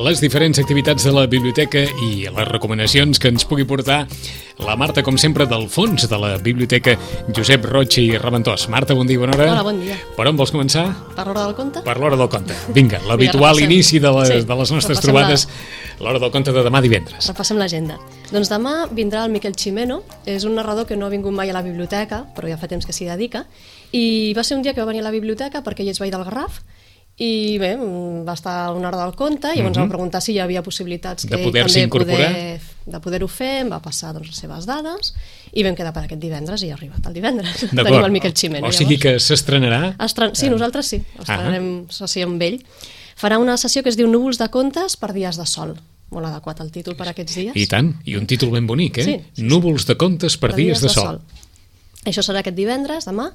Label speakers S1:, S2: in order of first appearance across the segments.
S1: les diferents activitats de la biblioteca i les recomanacions que ens pugui portar la Marta, com sempre, del fons de la biblioteca Josep Roig i Raventós. Marta, bon dia, bona hora.
S2: Hola, bon dia.
S1: Per on vols començar?
S2: Per l'hora del conte?
S1: Per l'hora del conte. Vinga, l'habitual inici de les nostres trobades, l'hora del conte de demà divendres.
S2: Repassem l'agenda. Doncs demà vindrà el Miquel Ximeno, és un narrador que no ha vingut mai a la biblioteca, però ja fa temps que s'hi dedica, i va ser un dia que va venir a la biblioteca perquè ell és veí del Garraf, i bé, va estar una hora del conte i llavors em va preguntar si hi havia possibilitats que ell també de poder-ho fer, em va passar doncs, les seves dades i vam quedar per aquest divendres i ha arribat el divendres. Tenim el Miquel Ximeno.
S1: O sigui que s'estrenarà?
S2: Sí, nosaltres sí, estrenarem sessió amb ell. Farà una sessió que es diu Núvols de contes per dies de sol. Molt adequat el títol per aquests dies.
S1: I tant, i un títol ben bonic, eh?
S2: Sí.
S1: Núvols de contes per dies de sol.
S2: Això serà aquest divendres, demà,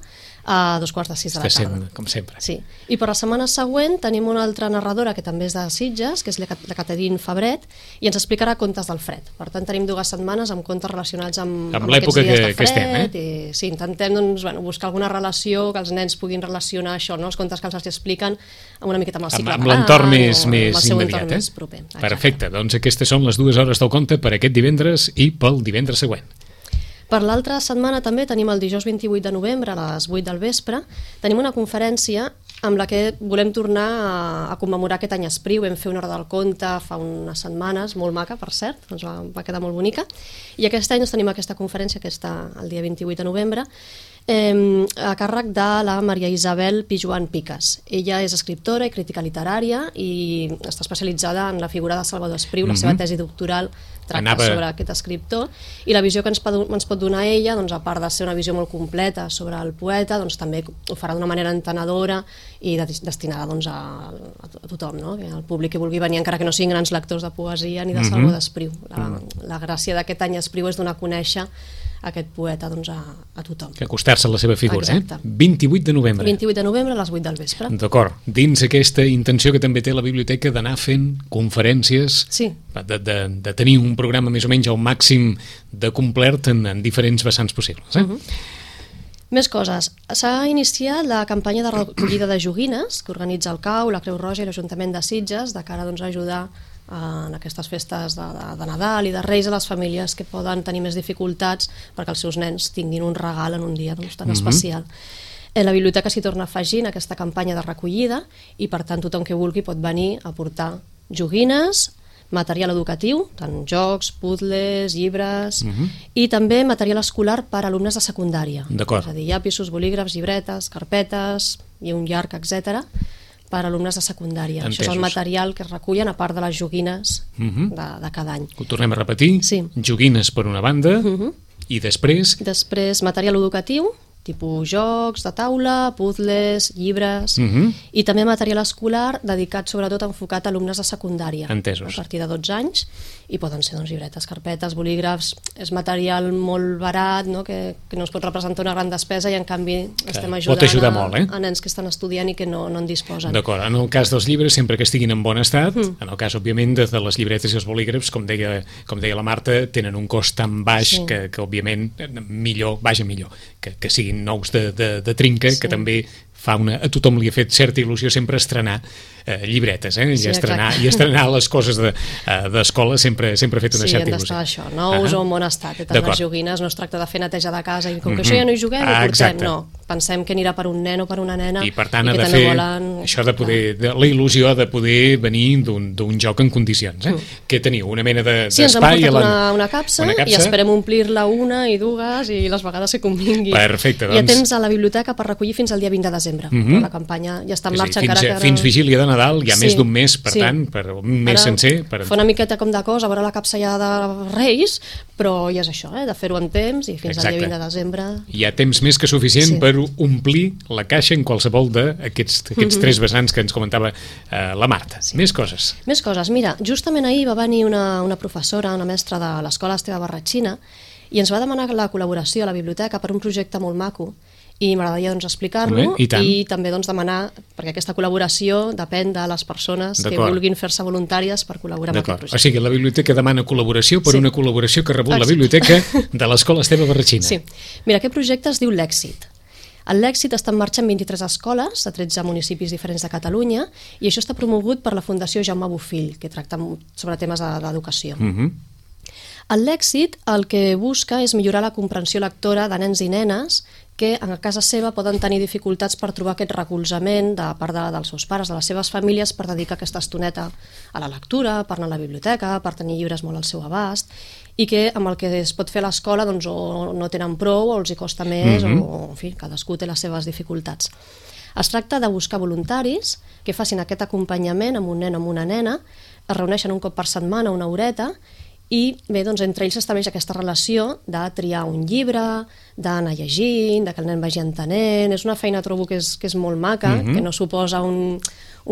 S2: a 5:45 de la tarda.
S1: Com sempre.
S2: Sí. I per la setmana següent tenim una altra narradora que també és de Sitges, que és la Caterine Fabret, i ens explicarà contes del fred. Per tant, tenim 2 setmanes amb contes relacionats amb
S1: l'època
S2: aquests dies de
S1: que estem,
S2: fred. I, sí, intentem buscar alguna relació, que els nens puguin relacionar això, no? Els contes que els expliquen una miqueta amb el cicle.
S1: Amb l'entorn més
S2: immediat.
S1: Més proper. Perfecte, doncs aquestes són les 2 hores del conte per aquest divendres i pel divendres següent.
S2: Per l'altra setmana també tenim el dijous 28 de novembre a les 8 del vespre. Tenim una conferència amb la que volem tornar a commemorar aquest any Espriu. Vam fer una hora del conte fa unes setmanes, molt maca, per cert, doncs va quedar molt bonica. I aquest any tenim aquesta conferència, que està el dia 28 de novembre, a càrrec de la Maria Isabel Pijuan Piques. Ella és escriptora i crítica literària i està especialitzada en la figura de Salvador Espriu. La seva tesi doctoral tracta sobre aquest escriptor, i la visió que ens pot donar ella, doncs, a part de ser una visió molt completa sobre el poeta, doncs, també ho farà d'una manera entenedora i destinada doncs, a tothom, no? El públic que vulgui venir, encara que no siguin grans lectors de poesia ni de Salvador Espriu. La gràcia d'aquest any Espriu és donar a conèixer aquest poeta doncs, a tothom. Que
S1: acostar-se a la seva figura.
S2: Exacte.
S1: 28 de novembre.
S2: 28 de novembre a les 8 del vespre.
S1: D'acord. Dins aquesta intenció que també té la biblioteca d'anar fent conferències, de tenir un programa més o menys al màxim de complert en diferents vessants possibles.
S2: Més coses. S'ha iniciat la campanya de recollida de joguines que organitza el CAU, la Creu Roja i l'Ajuntament de Sitges, de cara doncs, a ajudar en aquestes festes de Nadal i de Reis a les famílies que poden tenir més dificultats perquè els seus nens tinguin un regal en un dia doncs, tan especial. La biblioteca s'hi torna afegint aquesta campanya de recollida i per tant tothom que vulgui pot venir a portar joguines, material educatiu, tant jocs, puzzles, llibres, i també material escolar per a alumnes de secundària. És a dir, llapisos, bolígrafs, llibretes, carpetes i un llarg, etc., per a alumnes de secundària.
S1: Entesos.
S2: Això és el material que es recullen a part de les joguines de cada any.
S1: Ho tornem a repetir?
S2: Sí.
S1: Joguines per una banda i després?
S2: Després material educatiu, tipus jocs de taula, puzzles, llibres, i també material escolar dedicat sobretot enfocat a alumnes de secundària.
S1: Entesos.
S2: A partir de 12 anys, i poden ser doncs, llibretes, carpetes, bolígrafs. És material molt barat, no? Que no es pot representar una gran despesa i en canvi estem ajudant
S1: molt,
S2: a nens que estan estudiant i que no en disposen.
S1: D'acord, en el cas dels llibres sempre que estiguin en bon estat, en el cas òbviament de les llibretes i els bolígrafs, com deia la Marta, tenen un cost tan baix que òbviament millor que siguin nous de trinca, que també a tothom li ha fet certa il·lusió sempre estrenar llibretes, i estrenar les coses d'escola sempre ha fet una certa il·lusió.
S2: Sí, han d'estar això, nous o en bon estat. Les joguines no es tracta de fer neteja de casa i com que això ja no hi juguem, ho portem, no. Pensem que anirà per un nen o per una nena
S1: i per tant ha de fer això la il·lusió de poder venir d'un joc en condicions. Què teniu? Una mena d'espai?
S2: Sí, ens han portat una capsa i esperem omplir-la una i dues i les vegades que convingui.
S1: Perfecte,
S2: doncs. Hi ha temps a la biblioteca per recollir fins al dia 20 de desembre. La campanya ja està en marxa.
S1: Fins vigília de Nadal, hi ha més d'un mes, per tant, per un mes sencer.
S2: Fa una miqueta com de cosa, a veure la capsa ja de Reis, però ja és això, de fer-ho en temps i fins al dia 20 de desembre.
S1: Hi ha temps més que suficient per omplir la caixa en qualsevol d'aquests 3 vessants que ens comentava la Marta. Més coses.
S2: Més coses. Mira, justament ahir va venir una professora, una mestra de l'escola Esteve Barratxina, i ens va demanar la col·laboració a la biblioteca per un projecte molt maco i m'agradaria explicar-lo i també demanar, perquè aquesta col·laboració depèn de les persones que vulguin fer-se voluntàries per col·laborar amb aquest projecte.
S1: O sigui, la biblioteca demana col·laboració per una col·laboració que ha rebut la biblioteca de l'escola Esteve Barratxina.
S2: Sí. Mira, aquest projecte es diu l'Èxit. L'èxit està en marxa en 23 escoles de 13 municipis diferents de Catalunya i això està promogut per la Fundació Jaume Bofill, que tracta sobre temes d'educació. L'èxit el que busca és millorar la comprensió lectora de nens i nenes que a casa seva poden tenir dificultats per trobar aquest recolzament de part dels seus pares, de les seves famílies, per dedicar aquesta estoneta a la lectura, per anar a la biblioteca, per tenir llibres molt al seu abast, i que amb el que es pot fer a l'escola doncs, o no tenen prou o els hi costa més, o en fi, cadascú té les seves dificultats. Es tracta de buscar voluntaris que facin aquest acompanyament amb un nen o amb una nena, es reuneixen un cop per setmana, una horeta, i bé, doncs entre ells s'estableix aquesta relació de triar un llibre, d'anar llegint, que el nen vagi entenent. És una feina, trobo, que és molt maca, que no suposa un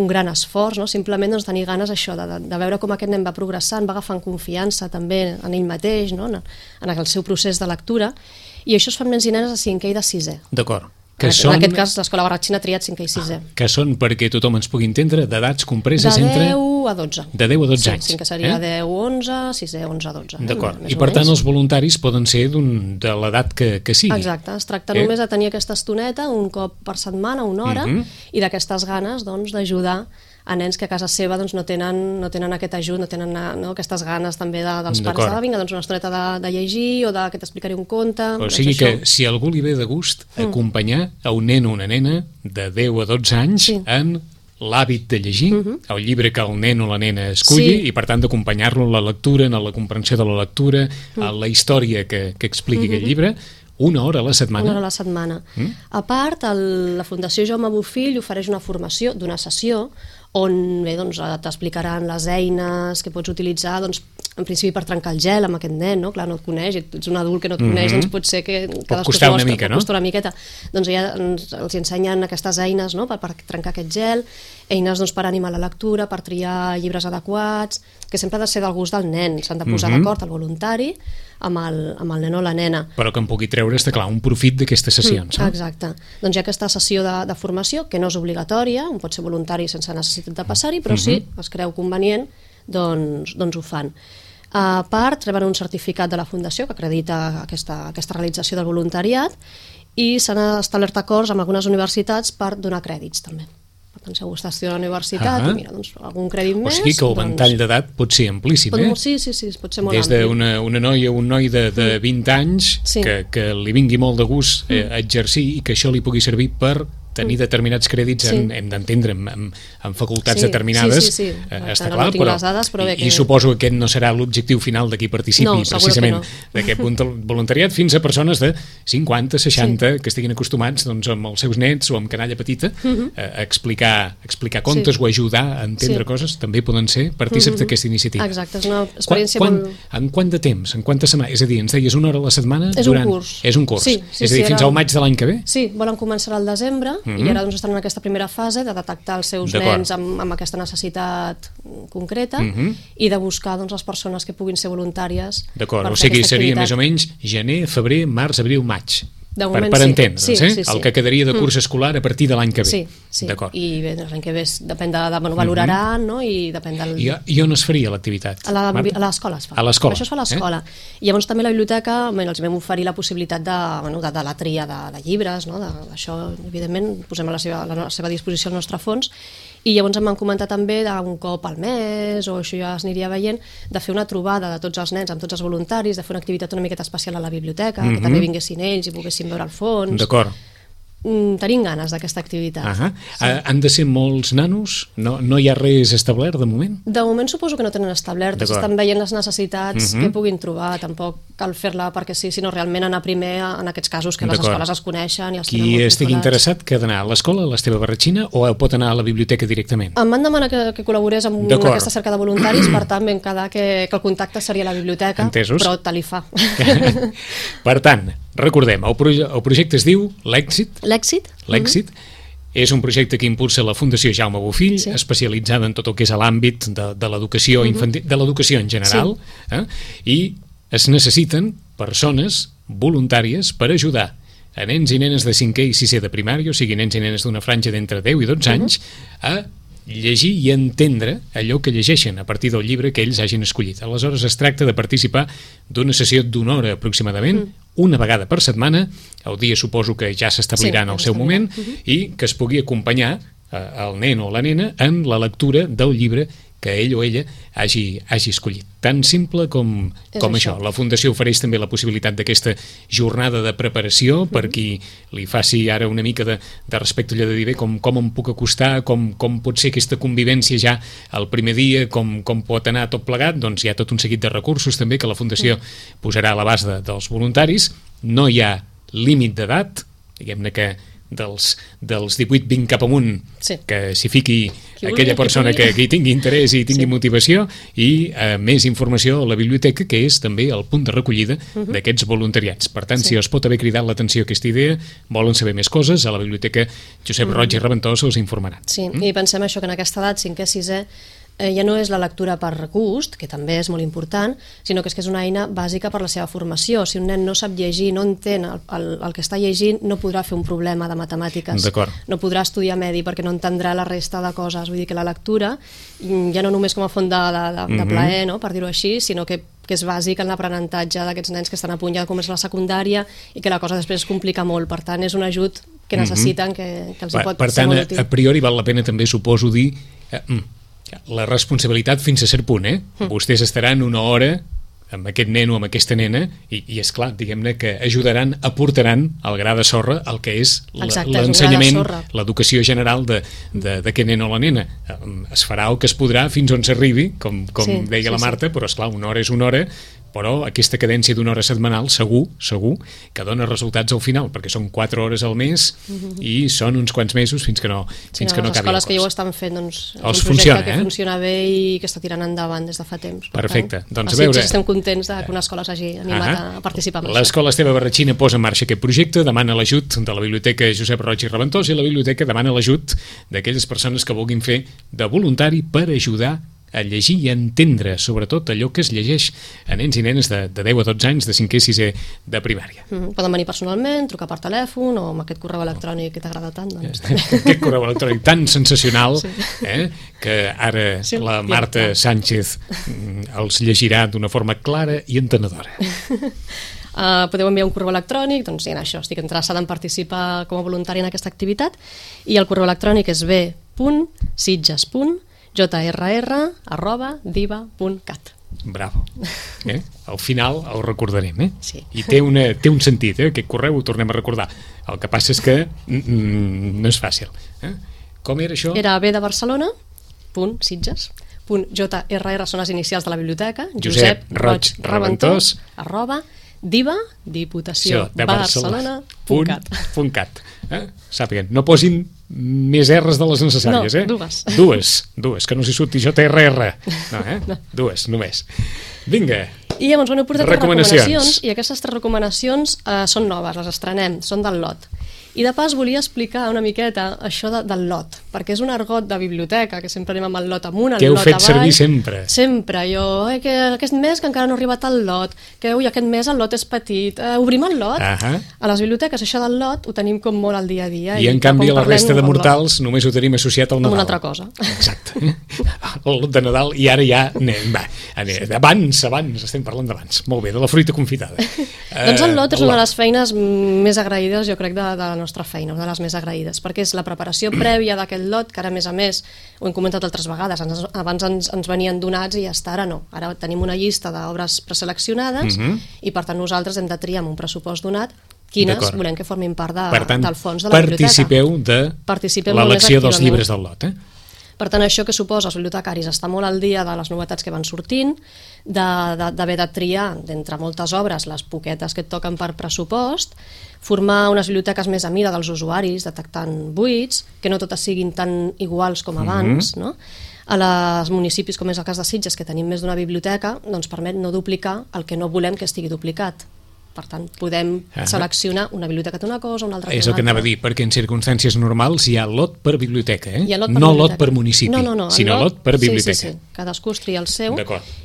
S2: gran esforç, no? Simplement doncs, tenir ganes això, de veure com aquest nen va progressant, va agafant confiança també en ell mateix, no? En el seu procés de lectura, i això es fa amb nens i nenes de 5è i de 6è.
S1: D'acord.
S2: En aquest cas, l'Escola Barratxina ha triat 5è i 6è.
S1: Que són, perquè tothom ens pugui entendre, d'edats compreses entre...
S2: De 10 a 12.
S1: De 10 a 12 anys.
S2: Sí, que seria 10 a 11, 6è, 11 a 12.
S1: D'acord. I per tant els voluntaris poden ser de l'edat que sigui.
S2: Exacte. Es tracta només de tenir aquesta estoneta un cop per setmana, una hora, i d'aquestes ganes d'ajudar a nens que a casa seva no tenen aquest ajut, no tenen aquestes ganes també dels pares de vinga, una estoneta de llegir o que t'explicaré un conte.
S1: O sigui que si a algú li ve de gust acompanyar a un nen o una nena de 10 a 12 anys en l'hàbit de llegir, el llibre que el nen o la nena esculli, i per tant d'acompanyar-lo en la lectura, en la comprensió de la lectura, en la història que expliqui aquest llibre, una hora a la setmana.
S2: Una hora a la setmana. A part, la Fundació Jaume Bofill ofereix una formació d'una sessió on t'explicaran les eines que pots utilitzar, en principi per trencar el gel amb aquest nen, no? Clar, no et coneix, ets un adult que no et coneix, doncs pot ser que
S1: pot costar una mica, no?
S2: Pot costar una miqueta. Doncs ja els ensenyen aquestes eines per trencar aquest gel, eines per animar la lectura, per triar llibres adequats, que sempre ha de ser del gust del nen, s'han de posar d'acord el voluntari amb el nen o la nena.
S1: Però que en pugui treure, està clar, un profit d'aquestes sessions.
S2: Exacte. Doncs hi ha aquesta sessió de formació, que no és obligatòria, un pot ser voluntari sense necessitat de passar-hi, però si es creu convenient, doncs ho fan. A part, reben un certificat de la Fundació que acredita aquesta realització del voluntariat i s'han establert acords amb algunes universitats per donar crèdits també. Per tant, si algú està estudiant a la universitat i mira, algun crèdit més...
S1: O sigui que el ventall d'edat pot ser amplíssim,
S2: Sí, pot ser molt
S1: ampli. Des d'una noia o un noi de 20 anys que li vingui molt de gust exercir i que això li pugui servir per tenir determinats crèdits, hem d'entendre, en facultats determinades, està clar, i suposo que aquest no serà l'objectiu final de qui participi precisament d'aquest voluntariat, fins a persones de 50, 60, que estiguin acostumats amb els seus nets o amb canalla petita a explicar contes o ajudar a entendre coses, també poden ser partícips d'aquesta iniciativa.
S2: Exacte, és una experiència molt...
S1: En quant de temps? En quantes setmanes? És a dir, ens deies una hora a la setmana?
S2: És un curs.
S1: És un curs. És a dir, fins al maig de l'any que ve?
S2: Sí, volen començar al desembre, i ara estan en aquesta primera fase de detectar els seus nens amb aquesta necessitat concreta i de buscar les persones que puguin ser voluntàries.
S1: D'acord, o sigui, seria més o menys gener, febrer, març, abril, maig. Per entendre's, el que quedaria de curs escolar a partir de l'any que ve.
S2: Sí, i bé, l'any que ve depèn de... valoraran, no? I depèn del...
S1: I on es faria l'activitat?
S2: A l'escola es fa.
S1: A l'escola.
S2: Això es fa a l'escola. I llavors també a la biblioteca els vam oferir la possibilitat de la tria de llibres, no? Això, evidentment, posem a la seva disposició el nostre fons, i llavors em van comentar també d'un cop al mes, o això ja es aniria veient, de fer una trobada de tots els nens amb tots els voluntaris, de fer una activitat una miqueta especial a la biblioteca, que també vinguessin ells i poguessin veure el fons.
S1: D'acord.
S2: Tenim ganes d'aquesta activitat.
S1: Han de ser molts nanos? No hi ha res establert de moment?
S2: De moment suposo que no tenen establert, estan veient les necessitats que puguin trobar, tampoc cal fer-la perquè sí, sinó realment anar primer en aquests casos que les escoles es coneixen i els tenen molt
S1: Qui estigui interessat que ha d'anar a l'escola, a l'Esteve Barratxina, o pot anar a la biblioteca directament?
S2: Em van demanar que col·laborés amb aquesta cerca de voluntaris, per tant vam quedar que el contacte seria a la biblioteca, però tal i fa.
S1: Per tant, recordem, el projecte es diu L'Èxit.
S2: L'Èxit.
S1: És un projecte que impulsa la Fundació Jaume Bofill, especialitzada en tot el que és l'àmbit de l'educació infantil, de l'educació en general, i es necessiten persones voluntàries per ajudar a nens i nenes de 5è i 6è de primària, o sigui, nens i nenes d'una franja d'entre 10 i 12 anys, a llegir i entendre allò que llegeixen a partir del llibre que ells hagin escollit. Aleshores es tracta de participar d'una sessió d'una hora aproximadament, una vegada per setmana, el dia suposo que ja s'establirà en el seu moment, i que es pugui acompanyar el nen o la nena en la lectura del llibre que ell o ella hagi escollit. Tan simple com això. La Fundació ofereix també la possibilitat d'aquesta jornada de preparació per qui li faci ara una mica de respecte, allò de dir, bé, com em puc acostar, com pot ser aquesta convivència ja el primer dia, com pot anar tot plegat. Doncs hi ha tot un seguit de recursos també que la Fundació posarà a l'abast dels voluntaris. No hi ha límit d'edat, diguem-ne que dels 18-20 cap amunt, que s'hi fiqui aquella persona que hi tingui interès i tingui motivació, i més informació a la biblioteca, que és també el punt de recollida d'aquests voluntariats. Per tant, si us pot haver cridat l'atenció aquesta idea, volen saber més coses, a la biblioteca Josep Roig i Reventós us informaran.
S2: Sí, i pensem això, que en aquesta edat, 5è, 6è, ja no és la lectura per gust, que també és molt important, sinó que és una eina bàsica per la seva formació. Si un nen no sap llegir, no entén el que està llegint, no podrà fer un problema de matemàtiques, no podrà estudiar medi perquè no entendrà la resta de coses. Vull dir que la lectura, ja no només com a font de plaer, no?, per dir-ho així, sinó que és bàsic en l'aprenentatge d'aquests nens que estan a punt ja de començar la secundària i que la cosa després es complica molt. Per tant, és un ajut que necessiten, que els hi pot ser molt útil.
S1: Per tant, a priori val la pena també, suposo, dir la responsabilitat fins a cert punt, Vostès estaran una hora amb aquest nen o amb aquesta nena i és clar, diguem-ne que aportaran el gra de sorra el que és l'ensenyament, l'educació general d'aquest nen o la nena. Es farà el que es podrà fins on s'arribi, com deia la Marta, però esclar, una hora és una hora, però aquesta cadència d'una hora setmanal segur que dona resultats al final, perquè són 4 hores al mes i són uns quants mesos fins que no acabi el curs.
S2: Les escoles que ja ho estan fent, doncs, és un projecte que funciona bé i que està tirant endavant des de fa temps.
S1: Perfecte. Doncs a veure,
S2: estem contents que una escola s'hagi animat a participar en això.
S1: L'Escola Esteve Barratxina posa en marxa aquest projecte, demana l'ajut de la Biblioteca Josep Roig i Reventós, i la Biblioteca demana l'ajut d'aquelles persones que vulguin fer de voluntari per ajudar a llegir i a entendre, sobretot, allò que es llegeix a nens i nenes de 10 a 12 anys, de 5è i 6è de primària.
S2: Poden venir personalment, trucar per telèfon o amb aquest correu electrònic que t'agrada tant.
S1: Aquest correu electrònic tan sensacional que ara la Marta Sánchez els llegirà d'una forma clara i entenedora.
S2: Podeu enviar un correu electrònic, doncs això, estic interessada en participar com a voluntari en aquesta activitat, i el correu electrònic és b.sitges.jrr@diva.cat.
S1: Bravo. Al final el recordarem, Sí. I té un sentit, aquest correu ho tornem a recordar. El que passa és que no és fàcil. Com era això?
S2: Era b de Barcelona, .sitges.jrr, són les inicials de la biblioteca,
S1: Josep Roig Reventós,
S2: @diva, Diputació de Barcelona.cat.
S1: Sàpiguen, no posin més R's de les necessàries, dues, que no s'hi surti JRR. Dues, només. Vinga.
S2: I llavors he portat recomanacions, i aquestes 3 recomanacions són noves, les estrenem, són del lot. I de pas volia explicar una miqueta això del lot, perquè és un argot de biblioteca, que sempre anem amb el lot amunt, el lot avall.
S1: Que heu fet servir sempre.
S2: Sempre, jo, que aquest mes que encara no ha arribat el lot, que aquest mes el lot és petit, obrim el lot. A les biblioteques això del lot ho tenim com molt al dia a dia.
S1: I en canvi a la resta de mortals només ho tenim associat al Nadal.
S2: Amb una altra cosa.
S1: Exacte. El lot de Nadal, i ara ja abans, estem parlant d'abans. Molt bé, de la fruita confitada.
S2: Doncs el lot és una de les feines més agraïdes, jo crec, de la nostra feina, una de les més agraïdes, perquè és la preparació prèvia d'aquest lot, que ara, a més, ho hem comentat altres vegades, abans ens venien donats i ja està, ara no. Ara tenim una llista d'obres preseleccionades i, per tant, nosaltres hem de triar amb un pressupost donat quines volem que formin part del fons de la biblioteca.
S1: Participeu de l'elecció dels llibres del lot,
S2: Per tant, això que suposa els bibliotecaris estar molt al dia de les novetats que van sortint, d'haver de triar, d'entre moltes obres, les poquetes que et toquen per pressupost, formar unes biblioteques més a mida dels usuaris, detectant buits, que no totes siguin tan iguals com abans, no? A els municipis, com és el cas de Sitges, que tenim més d'una biblioteca, doncs permet no duplicar el que no volem que estigui duplicat. Per tant, podem seleccionar una biblioteca d'una cosa, una altra d'una altra.
S1: És el que anava a dir, perquè en circumstàncies normals hi ha lot per biblioteca, no lot per municipi, sinó lot per biblioteca.
S2: Sí, cadascú es tria el seu,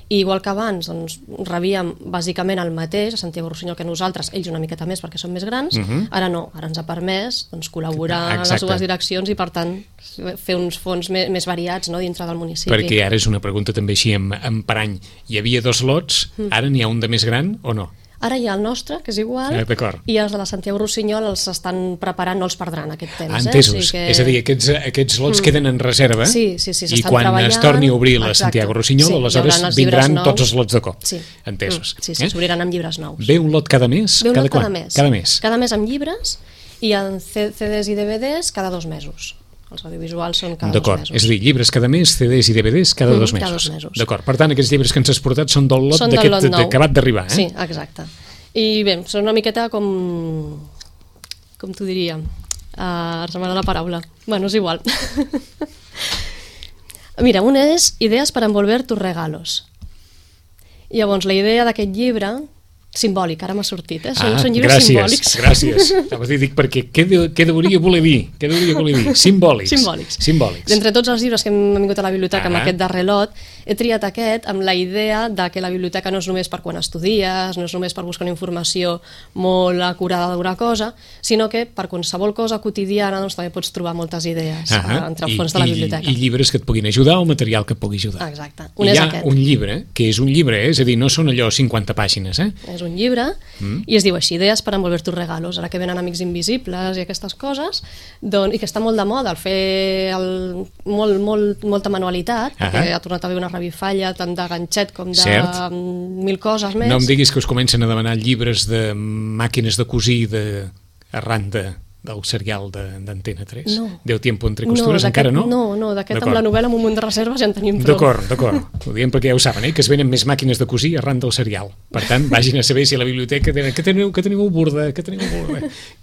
S2: i igual que abans doncs, rebíem bàsicament el mateix a Santiago Rossinyol que nosaltres, ells una miqueta més perquè són més grans, ara no, ara ens ha permès col·laborar en les dues direccions i, per tant, fer uns fons més variats dintre del municipi.
S1: Perquè ara és una pregunta també així en parany, hi havia 2 lots, ara n'hi ha un de més gran o no?
S2: Ara hi ha el nostre, que és igual, i els de la Santiago Rossinyol els estan preparant, no els perdran aquest temps.
S1: Entesos, o sigui que... és a dir, aquests lots queden en reserva i quan es torni a obrir la Santiago Rossinyol, aleshores vindran tots els lots de cop. Entesos.
S2: Sí, s'obriran amb llibres nous.
S1: Ve un lot cada mes?
S2: Ve un lot cada mes. Cada mes amb llibres i en CDs i DVDs cada 2 mesos. Els audiovisuals són cada 2 mesos.
S1: D'acord, és a dir, llibres cada mes, CDs i DVDs cada 2 mesos.
S2: Cada 2 mesos.
S1: D'acord, per tant, aquests llibres que ens has portat són del lot d'aquest acabat d'arribar,
S2: Sí, exacte. I bé, són una miqueta com t'ho diria? Ara se m'ha la paraula. Bueno, és igual. Mira, un és Idees per envolver tus regalos. Llavors, la idea d'aquest llibre... simbòlic, ara m'ha sortit, són llibres simbòlics.
S1: Gràcies, dic perquè què deuria voler dir? Simbòlics.
S2: D'entre tots els llibres que hem vingut a la biblioteca amb aquest darrer lot, he triat aquest amb la idea de que la biblioteca no és només per quan estudies, no és només per buscar una informació molt acurada d'una cosa, sinó que per qualsevol cosa quotidiana doncs, també pots trobar moltes idees entre el fons de la biblioteca.
S1: I llibres que et puguin ajudar o material que et pugui ajudar.
S2: Exacte.
S1: Hi ha un llibre, que és un llibre, és a dir, no són allò 50 pàgines,
S2: És un llibre i es diu així, Idees per envolver tus regalos. Ara que venen Amics Invisibles i aquestes coses, i que està molt de moda el fer molta manualitat, perquè ha tornat a haver una revifalla tant de ganxet com de 1000 coses més.
S1: No em diguis que us comencen a demanar llibres de màquines de cosir arran del serial d'Antena 3?
S2: No.
S1: Deu tiempo entre costures, encara no?
S2: No, d'aquest amb la novel·la amb un munt de reserves ja en tenim prou.
S1: D'acord. Ho diem perquè ja ho saben, que es venen més màquines de cosir arran del serial. Per tant, vagin a saber si a la biblioteca que teniu burda, que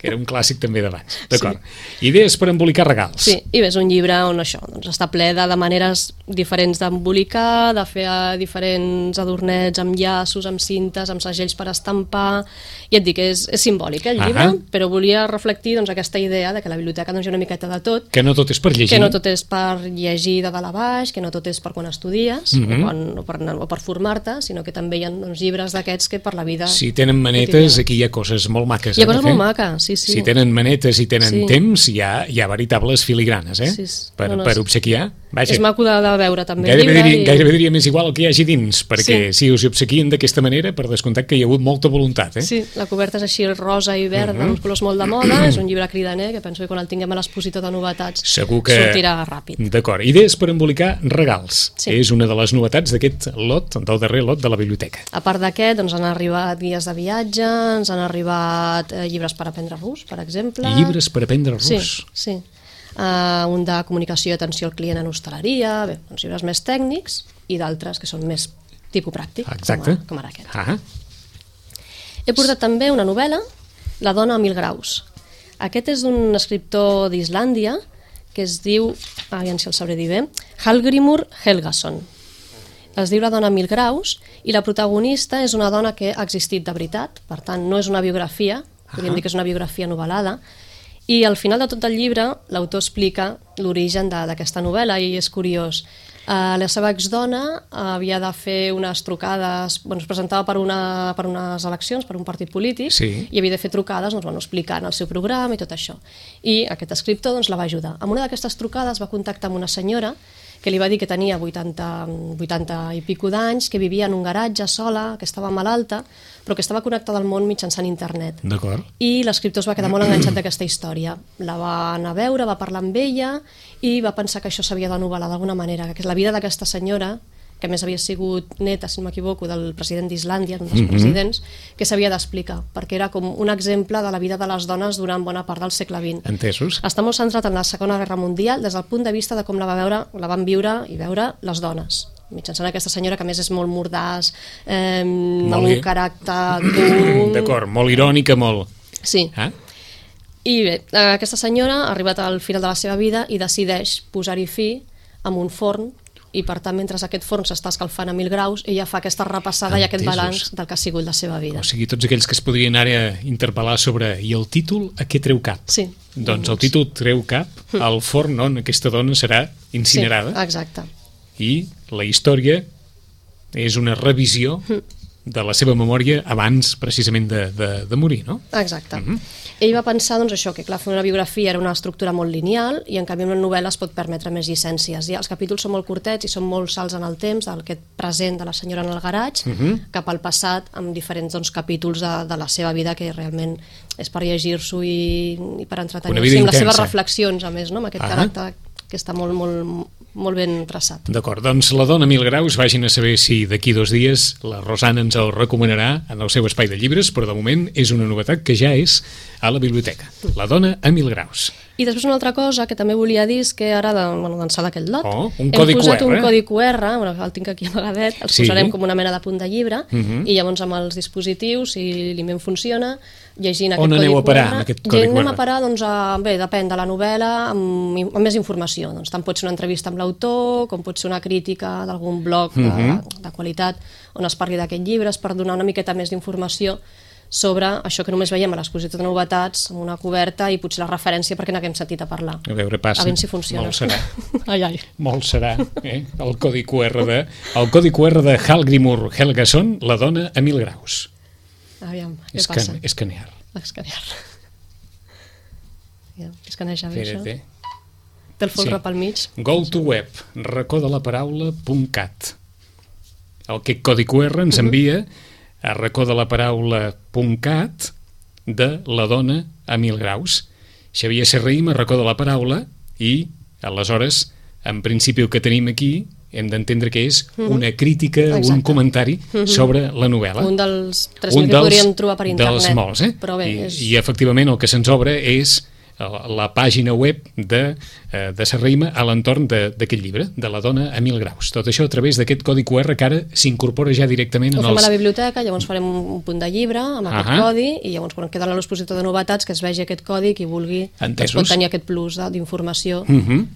S1: era un clàssic també d'abans. D'acord. Idees per embolicar regals.
S2: Sí, i ves un llibre on això està ple de maneres diferents d'embolicar, de fer diferents adornets amb llaços, amb cintes, amb segells per estampar, i et dic, és simbòlic el llibre, però volia reflectir aquesta idea de que la biblioteca hi ha una miqueta de tot.
S1: Que no tot és per llegir.
S2: Que no tot és per llegir de dalt a baix, que no tot és per quan estudies o per formar-te, sinó que també hi ha llibres d'aquests que per la vida...
S1: Si tenen manetes, aquí hi ha coses molt maques.
S2: Hi ha coses molt maques, sí.
S1: Si tenen manetes i tenen temps, hi ha veritables filigranes, per obsequiar.
S2: És maco de veure també.
S1: Gairebé diria més igual el que hi hagi dins, perquè si us hi obsequien d'aquesta manera, per descomptat que hi ha hagut molta voluntat.
S2: Sí, la coberta és així rosa i verda, uns colors molt de moda, és un llibre cridaner que penso que quan el tinguem a l'expositor de novetats sortirà ràpid.
S1: D'acord. Idees per embolicar regals. És una de les novetats d'aquest lot, del darrer lot de la biblioteca.
S2: A part d'aquest, han arribat guies de viatge, ens han arribat llibres per aprendre rus, per exemple.
S1: Llibres per aprendre rus?
S2: Sí. Un de comunicació i atenció al client en hostaleria, uns llibres més tècnics i d'altres que són més tipus pràctic, com ara aquest. He portat també una novel·la, La dona a 1000 graus. Aquest és d'un escriptor d'Islàndia que es diu, aviam si el sabré dir bé, Hallgrímur Helgason. Es diu La dona a 1000 graus i la protagonista és una dona que ha existit de veritat, per tant no és una biografia, podríem dir que és una biografia novel·lada, i al final de tot el llibre l'autor explica l'origen d'aquesta novel·la i és curiós. La seva exdona havia de fer unes trucades, es presentava per unes eleccions, per un partit polític, i havia de fer trucades explicant el seu programa i tot això. I aquest escriptor la va ajudar. En una d'aquestes trucades va contactar amb una senyora que li va dir que tenia 80 i pico d'anys, que vivia en un garatge sola, que estava malalta, però que estava connectada al món mitjançant internet.
S1: D'acord.
S2: I l'escriptor es va quedar molt enganxat d'aquesta història. La va anar a veure, va parlar amb ella i va pensar que això s'havia de novel·lar d'alguna manera, que la vida d'aquesta senyora, que a més havia sigut neta, si no m'equivoco, del president d'Islàndia, un dels presidents, que s'havia d'explicar, perquè era com un exemple de la vida de les dones durant bona part del segle XX.
S1: Entesos.
S2: Està molt centrat en la Segona Guerra Mundial des del punt de vista de com la van viure les dones, mitjançant aquesta senyora que a més és molt mordàs, amb un caràcter dur...
S1: D'acord, molt irònica, molt...
S2: Sí. I bé, aquesta senyora ha arribat al final de la seva vida i decideix posar-hi fi amb un forn, i per tant, mentre aquest forn s'està escalfant a 1000 graus, ella fa aquesta repassada i aquest balanç del que ha sigut la seva vida.
S1: O sigui, tots aquells que es podrien ara interpel·lar sobre i el títol a què treu cap?
S2: Sí.
S1: Doncs el títol treu cap al forn on aquesta dona serà incinerada.
S2: Sí, exacte.
S1: I la història és una revisió de la seva memòria abans precisament de morir, no?
S2: Exacte. Ell va pensar, doncs, això, que clar, fer una biografia era una estructura molt lineal i en canvi una novel·la es pot permetre més llicències. I els capítols són molt curtets i són molt salts en el temps, d'aquest present de la senyora en el garatge cap al passat, amb diferents capítols de la seva vida que realment és per llegir-s'ho i per entretenir-se, amb les seves reflexions, a més, no? Amb aquest caràcter que està molt ben traçat.
S1: D'acord, doncs La dona a 1000 graus, vagin a saber si d'aquí 2 dies la Rosana ens el recomanarà en el seu espai de llibres, però de moment és una novetat que ja és a la biblioteca. La dona a 1000 graus.
S2: I després una altra cosa que també volia dir és que ara d'ençà d'aquest lot
S1: un codi
S2: hem posat
S1: QR.
S2: Un codi QR, el tinc aquí amagadet, els posarem com una mena de punt de llibre i llavors amb els dispositius, si l'IMEM funciona, llegint aquest codi QR.
S1: On aneu a parar amb aquest codi QR?
S2: Anem a parar, doncs, bé, depèn de la novel·la, amb més informació. Doncs tant pot ser una entrevista amb l'autor, com pot ser una crítica d'algun blog de qualitat on es parli d'aquest llibre, per donar una miqueta més d'informació sobre això que només veiem a l'exposició de novetats, amb una coberta i potser la referència perquè n'haguem sentit a parlar.
S1: A veure, passa.
S2: A veure si funciona.
S1: Molt serà.
S2: Ai.
S1: Molt serà, el codi QR de Hallgrímur Helgason, La dona a 1000 graus.
S2: Aviam, què passa?
S1: Escanear.
S2: Escaneja bé, això. Té el folre pel mig.
S1: Go to web, racodalaparaula.cat. Aquest codi QR ens envia a racodalaparaula.cat de La dona a 1000 graus. Xavier Serrahima, Racó de la Paraula, i aleshores, en principi el que tenim aquí hem d'entendre que és una crítica, un comentari sobre la novel·la.
S2: Un dels 3.000 que podríem trobar per internet.
S1: Dels molts,
S2: Però bé,
S1: I efectivament el que se'ns obre és la pàgina web de Serrahima a l'entorn d'aquest llibre, de La dona a 1000 graus. Tot això a través d'aquest codi QR que ara s'incorpora ja directament
S2: ho fem a la biblioteca, llavors farem un punt de llibre amb aquest codi i llavors quan queda a l'expositor de novetats que es vegi aquest codi, qui vulgui doncs pot tenir aquest plus d'informació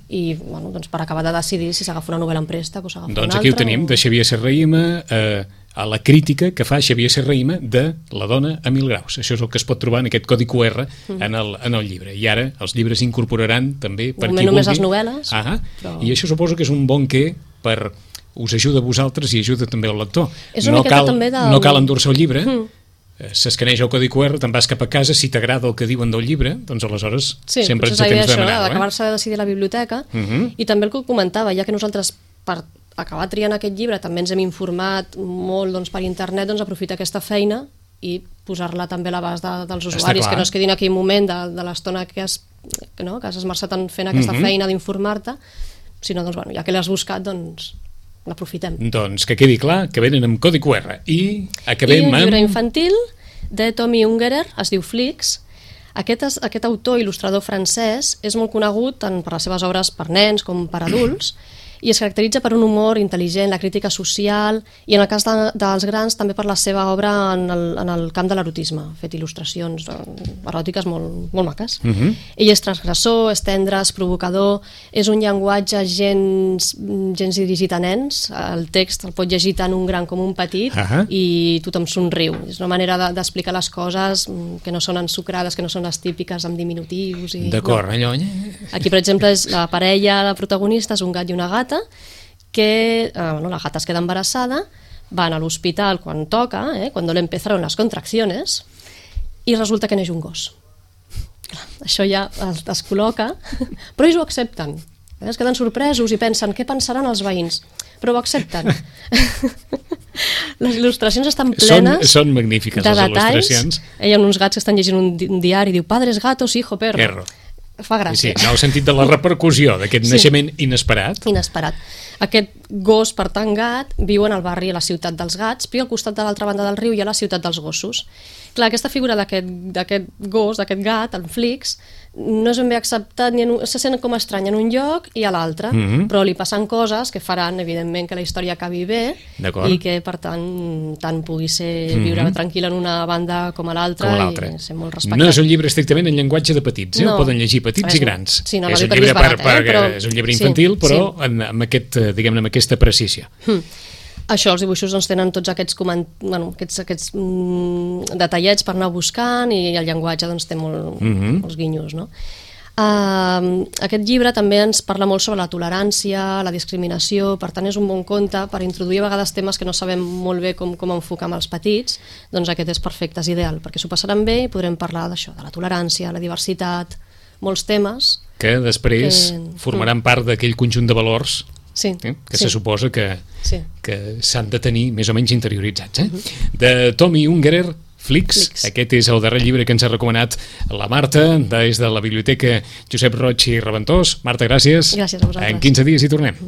S2: i doncs per acabar de decidir si s'agafa una novel·la en préstec o s'agafa una altra.
S1: Doncs aquí ho tenim, de Xavier Serrahima, a la crítica que fa Xavier Serrahima de La dona a 1000 graus. Això és el que es pot trobar en aquest codi QR en el llibre. I ara els llibres incorporaran també per qui vulgui.
S2: Només les novel·les.
S1: I això suposo que és un bon què per us ajuda a vosaltres i ajuda també al lector. No cal endur-se el llibre, s'escaneja el codi QR, te'n vas cap a casa, si t'agrada el que diuen del llibre, doncs aleshores sempre ens tens demanat.
S2: D'acabar-se de decidir a la biblioteca i també el que comentava, ja que nosaltres per acabar triant aquest llibre també ens hem informat molt per internet, doncs aprofitar aquesta feina i posar-la també a l'abast dels usuaris, que no es quedin aquí un moment de l'estona que has esmerçat en fent aquesta feina d'informar-te, sinó, ja que l'has buscat, doncs l'aprofitem.
S1: Doncs que quedi clar que venen amb codi QR. I acabem amb...
S2: un llibre infantil de Tommy Ungerer, es diu Flix. Aquest autor il·lustrador francès és molt conegut tant per les seves obres per nens com per adults, i es caracteritza per un humor intel·ligent, la crítica social i en el cas dels grans també per la seva obra en el camp de l'erotisme, fet il·lustracions eròtiques molt maques. Ell és transgressor, és tendre, és provocador, és un llenguatge gens dirigit a nens, el text el pot llegir tant un gran com un petit i tothom somriu. És una manera d'explicar les coses que no són ensucrades, que no són les típiques amb diminutius.
S1: D'acord, allò...
S2: Aquí, per exemple, és la parella, la protagonista és un gat i una gata, que la gata es queda embarassada, van a l'hospital quan toca, cuando le empezaron las contracciones, i resulta que neix un gos. Això ja es col·loca, però ells ho accepten. Es queden sorpresos i pensen, què pensaran els veïns? Però ho accepten. Les il·lustracions estan plenes
S1: són magnífiques,
S2: de
S1: les
S2: detalls.
S1: il·lustracions.
S2: Hi ha uns gats que estan llegint un diari i diu, padres gatos, hijo perro. Fa gràcia.
S1: Sí, en el sentit de la repercussió d'aquest naixement inesperat.
S2: Aquest gos, per tant gat, viu en el barri a la ciutat dels gats, però al costat de l'altra banda del riu hi ha la ciutat dels gossos. Clar, aquesta figura d'aquest gos, d'aquest gat, el Flix, no és ben bé acceptat, se sent com estrany en un lloc i a l'altre, però li passen coses que faran, evidentment, que la història acabi bé i que, per tant pugui ser viure tranquil en una banda com a l'altra i ser molt respectat.
S1: No és un llibre estrictament en llenguatge de petits, ho poden llegir petits i grans.
S2: Sí,
S1: és un llibre és un llibre infantil, però amb aquesta precisió.
S2: Això, els dibuixos tenen tots aquests detallets per anar buscant i el llenguatge té molts guinyos, no? Aquest llibre també ens parla molt sobre la tolerància, la discriminació, per tant és un bon conte per introduir a vegades temes que no sabem molt bé com enfocar amb els petits, doncs aquest és perfecte, és ideal, perquè s'ho passaran bé i podrem parlar d'això, de la tolerància, la diversitat, molts temes
S1: que després formaran part d'aquell conjunt de valors que se suposa que s'han de tenir més o menys interioritzats. De Tommy Ungerer, Flix. Aquest és el darrer llibre que ens ha recomanat la Marta des de la Biblioteca Josep Roig i Reventós. Marta, gràcies.
S2: Gràcies a vosaltres.
S1: En 15 dies hi tornem.